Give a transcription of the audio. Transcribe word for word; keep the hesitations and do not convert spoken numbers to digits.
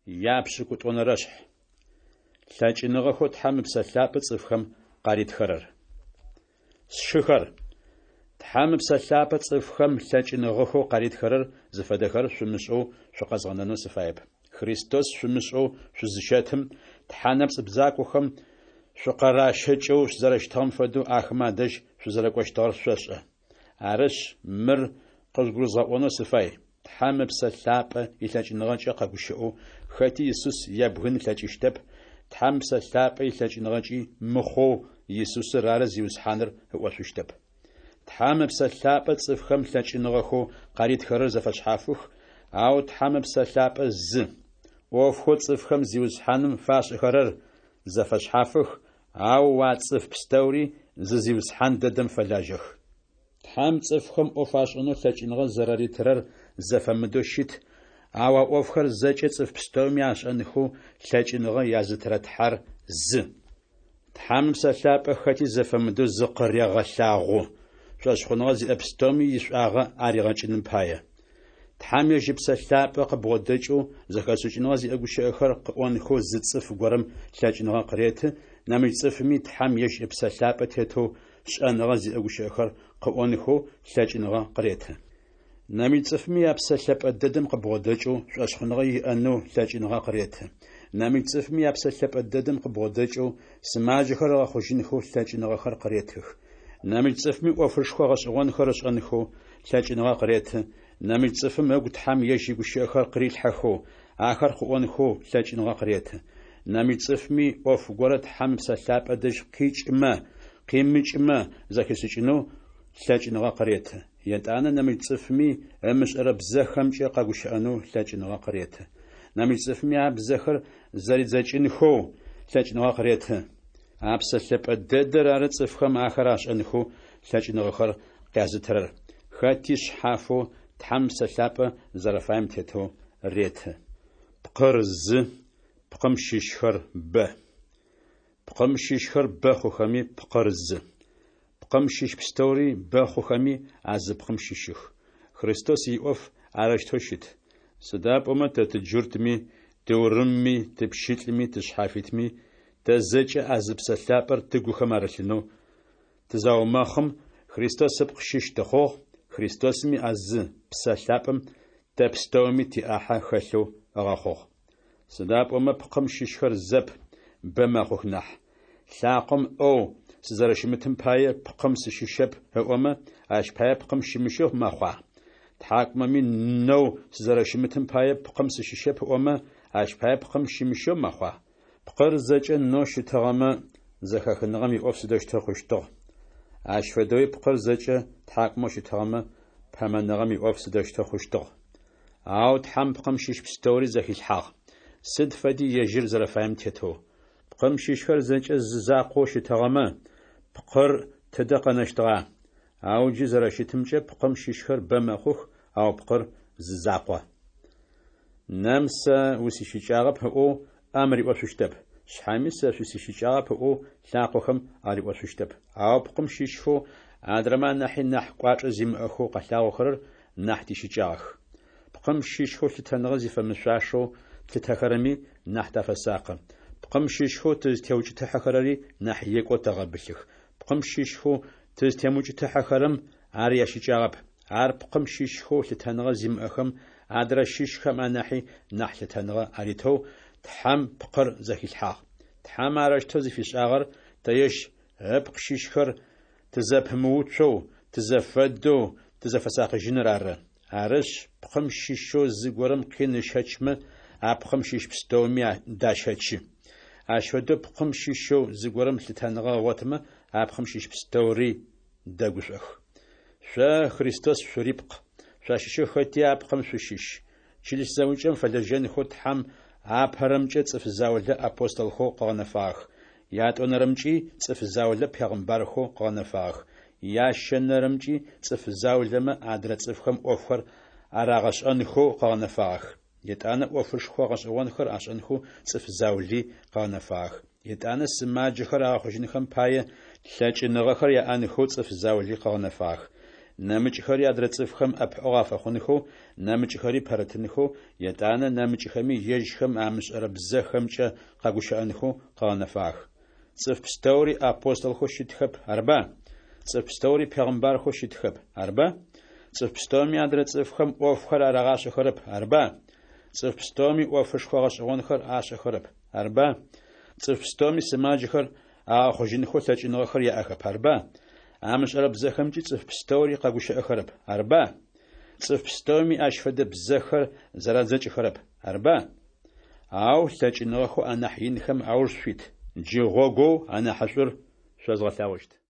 Япшӏыкӏутӏонэрэшъхь. Лъэкӏыныгъэхэу Тхьэм Ыпсэ Лъапӏэ цӏыфхэм къаритхэрэр. Сшыхэр, Тхьэм Ыпсэ Лъапӏэ цӏыфхэм лъэкӏыныгъэхэу къаритхэрэр зыфэдэхэр шъумышӏэу шъукъэзгъэнэнэу сыфаеп. Христос шъумышӏэу шъузыщэтым, тхьэ нэпцӏ бзакохэм шъукъыращэкӏэу зэрэщытыгъэм фэдэу ахэмэ адэжь шъузэрэкӏощтыгъэр шъошӏэ. Арышъ, мыр къыжъугурызгъэӏонэу сыфай: Тхьэм Ыпсэ Лъапӏэ илъэкӏыныгъэкӏэ къэгущыӏэу хэти Исус ебгын ылъэкӏыщтэп, Тхьэм Ыпсэ Лъапӏэ илъэкӏыныгъэкӏи мыхъоу, Исусыр ары Зиусхьаныр ыӏошъущтэп. Тхьэм Ыпсэ Лъапӏэ цӏыфхэм лъэкӏыныгъэхэу къаритхэрэр зэфэшъхьафых, ау Тхьэм Ыпсэ Лъапӏэ зы. ӏофхэу цӏыфхэм Зиусхьаным фашӏэхэрэр зэфэшъхьафых, ау а цӏыф пстэури зы Зиусхьан дэдэм фэлажьэх. Тхьэм цӏыфхэм ӏоф ашӏэнэу лъэкӏыныгъэ зэраритырэр зэфэмыдэу щыт, ау а ӏофхэр зэкӏэ цӏыф пстэуми ашӏэнхэу лъэкӏыныгъэ язытырэ Тхьэр зы. Тхьэм Ыпсэ Лъапӏэ хэти зэфэмыдэу зыкъырегъэлъагъу, шӏошъхъуныгъэ зиӏэ пстэуми ишӏуагъэ аригъэкӏыным пае. Тхьэм ежь Ыпсэ Лъапӏэ къыбгъодэкӏэу зэхэшӏыкӏыныгъэ зиӏэ гущыӏэхэр къыӏонхэу зы цӏыф горэм лъэкӏыныгъэ къыреты, нэмыкӏ цӏыфми Тхьэм ежь Ыпсэ Лъапӏэ тетэу шӏэныгъэ зиӏэ гущыӏэхэр къыӏонхэу лъэкӏыныгъэ къыреты. Нэмыкӏ цӏыфми а Псэ Лъэпӏэ дэдэм къыбгъодэкӏэу шӏошъхъуныгъэ иӏэнэу лъэкӏыныгъэ къыреты. Нэмыкӏ цӏыфми а Псэ Лъэпӏэ дэдэм къыбгъодэкӏэу сымаджэхэр ыгъэхъужьынхэу лъэкӏыныгъэхэр къыретых. Нэмыкӏ цӏыфми ӏофышхо гъэшӏэгъонхэр ышӏэнхэу лъэкӏыныгъэ къыреты, нэмыкӏ цӏыфым ыгу Тхьэм ежь игущыӏэхэр къырилъхьэхэу, ахэр къыӏонхэу лъэкӏыныгъэ къыреты. Нэмыкӏ цӏыфми ӏоф горэ Тхьэм Ыпсэ Лъапӏэ дэжь къикӏымэ, къимыкӏымэ зэхишӏыкӏынэу лъэкӏыныгъэ къыреты. Етӏанэ нэмыкӏ цӏыфми ымышӏэрэ бзэхэмкӏэ къэгущыӏэнэу лъэкӏыныгъэ къыреты. Нэмыкӏ цӏыфми а бзэхэр зэридзэкӏынхэу лъэкӏыныгъэ къыреты. А Псэ Лъэпӏэ дэдэр ары цӏыфхэм ахэр ашӏэнхэу лъэкӏыныгъэхэр къязытырэр, хэти шъхьафэу Тхьэм Ыпсэ Лъапӏэ зэрэфаем тетэу реты. Пкъыр зы, пкъым щыщхэр бэ. Пкъым щыщхэр бэ хъухэми, пкъыр зы. Пкъым щыщ пстэури бэ хъухэми, а зы пкъым щыщых. Христос иӏоф арэущтэу щыт. Сыда пӏомэ тэ тыджуртми, тыурымми, тыпщылӏми, тышъхьафитми, тэ зэкӏэ а зы Псэ Лъапӏэр тыгухэм арылъынэу тызаумэхъым, Христос ыпкъ щыщ тыхъугъ, Христосми а зы Псэ Лъапӏэм тэ пстэуми тиӏахьэ хэлъэу ыгъэхъугъ. Сыда пӏомэ пкъым щыщхэр зэп, бэ мэхъух нахь. Лъакъом ӏэу сызэрэщымытым пае пкъым сыщыщэп ыӏомэ, ащ пае пкъым щымыщэу мэхъуа? Тхьакӏумэми нэу сызэрэщымытым пае пкъым сыщыщэп ыӏомэ, ащ пае пкъым щымыщэу мэхъуа? Пкъыр зэкӏэ нэу щытыгъэмэ, зэхэхыныгъэм иӏоф сыдэущтэу хъущтыгъ? Ащ фэдэуи пкъыр зэкӏэ тхьакӏумэу щытыгъэмэ, пэмэныгъэм иӏоф сыдэущтэу хъущтыгъ? Ау Тхьэм пкъым щыщ пстэури зэхилъхьагъ, сыд фэди ежьыр зэрэфаем тетэу. Пкъым щыщхэр зэкӏэ зы закъоу щытыгъэмэ, пкъыр тыдэ къэнэщтыгъа? Ау джы зэрэщытымкӏэ пкъым щыщхэр бэ мэхъух, ау пкъыр зы закъо. Нэм сэ усищыкӏагъэп ыӏоу ӏэм риӏошъущтэп. Шъхьэми сэ шъусищыкӏагъэп ыӏоу лъакъохэм ариӏошъущтэп. Ау пкъым щыщхэу адрэмэ анахьи нахь кӏуачӏэ зимыӏэхэу къэлъагъохэрэр нахь тищыкӏагъэх. Пкъым щыщхэу лъытэныгъэ зифэмышъуашэу тлъытэхэрэми нахь тафэсакъы. Пкъым щыщхэу тызтеукӏытыхьэхэрэри нахь екӏоу тэгъэбылъых. Пкъым щыщхэу тызтемыукӏытыхьэхэрэм ар ящыкӏагъэп. Ар пкъым щыщхэу лъытэныгъэ зимыӏэхэм адрэ щыщхэм анахьи нахь лъытэныгъэ аритэу Тхьэм пкъыр зэхилъхьагъ. Тхьэм арэущтэу зыфишӏагъэр тэ ежь ыпкъ щыщхэр тызэпымыуцоу, тызэфэдэу тызэфэсакъыжьыныр ары. Арышъ, пкъым щыщэу зыгорэм къин ыщэчмэ, а пкъым щыщ пстэуми дащэчы. Ащ фэдэу пкъым щыщэу зыгорэм лъытэныгъэ ыгъотымэ, а пкъым щыщ пстэури дэгушӏох. Шъо Христос шъурипкъ, шъуащыщэу хэти а пкъым шъущыщ. Чылыс зэӏукӏэм фэлэжьэнхэу Тхьэм апэрэмкӏэ цӏыф заулэ апостолхэу къыгъэнэфагъэх, ятӏонэрэмкӏи цӏыф заулэ пегъымбархэу къыгъэнэфагъэх, ящэнэрэмкӏи цӏыф заулэмэ адрэ цӏыфхэм ӏофхэр арагъэшӏэнхэу къыгъэнэфагъэх. Етӏанэ ӏофышхо гъэшӏэгъонхэр ашӏэнхэу цӏыф заули къыгъэнэфагъэх. Етӏанэ сымаджэхэр агъэхъужьынхэм пае лъэкӏыныгъэхэр яӏэнхэу цӏыф заули къыгъэнэфагъэх. нэмыкӏхэри адрэ цӏыфхэм ӏэпыӏэгъу афэхъунхэу, нэмыкӏхэри пэрытынхэу, етӏанэ нэмыкӏхэми ежьхэм амышӏэрэ бзэхэмкӏэ къэгущыӏэнхэу къыгъэнэфагъэх. Цӏыф пстэури апостолхэу щытхэп, арба? Цӏыф пстэури пегъымбархэу щытхэп, арба? Цӏыф пстэуми адрэ цӏыфхэм ӏофхэр арагъашӏэхэрэп, арба? Цӏыф пстэуми ӏофышхо гъэшӏэгъонхэр ашӏэхэрэп, арба? Цӏыф пстэуми сымаджэхэр агъэхъужьынхэу лъэкӏыныгъэхэр яӏэхэп, арба? Амышӏэрэ бзэхэмкӏи цӏыф пстэури къэгущыӏэхэрэп, арба? Цӏыф пстэуми ащ фэдэ бзэхэр зэрадзэкӏыхэрэп, арба? Ау лъэкӏыныгъэхэу анахь инхэм ауж шъуит. Джы гъогоу анахьышӏур шъозгъэлъэгъущт.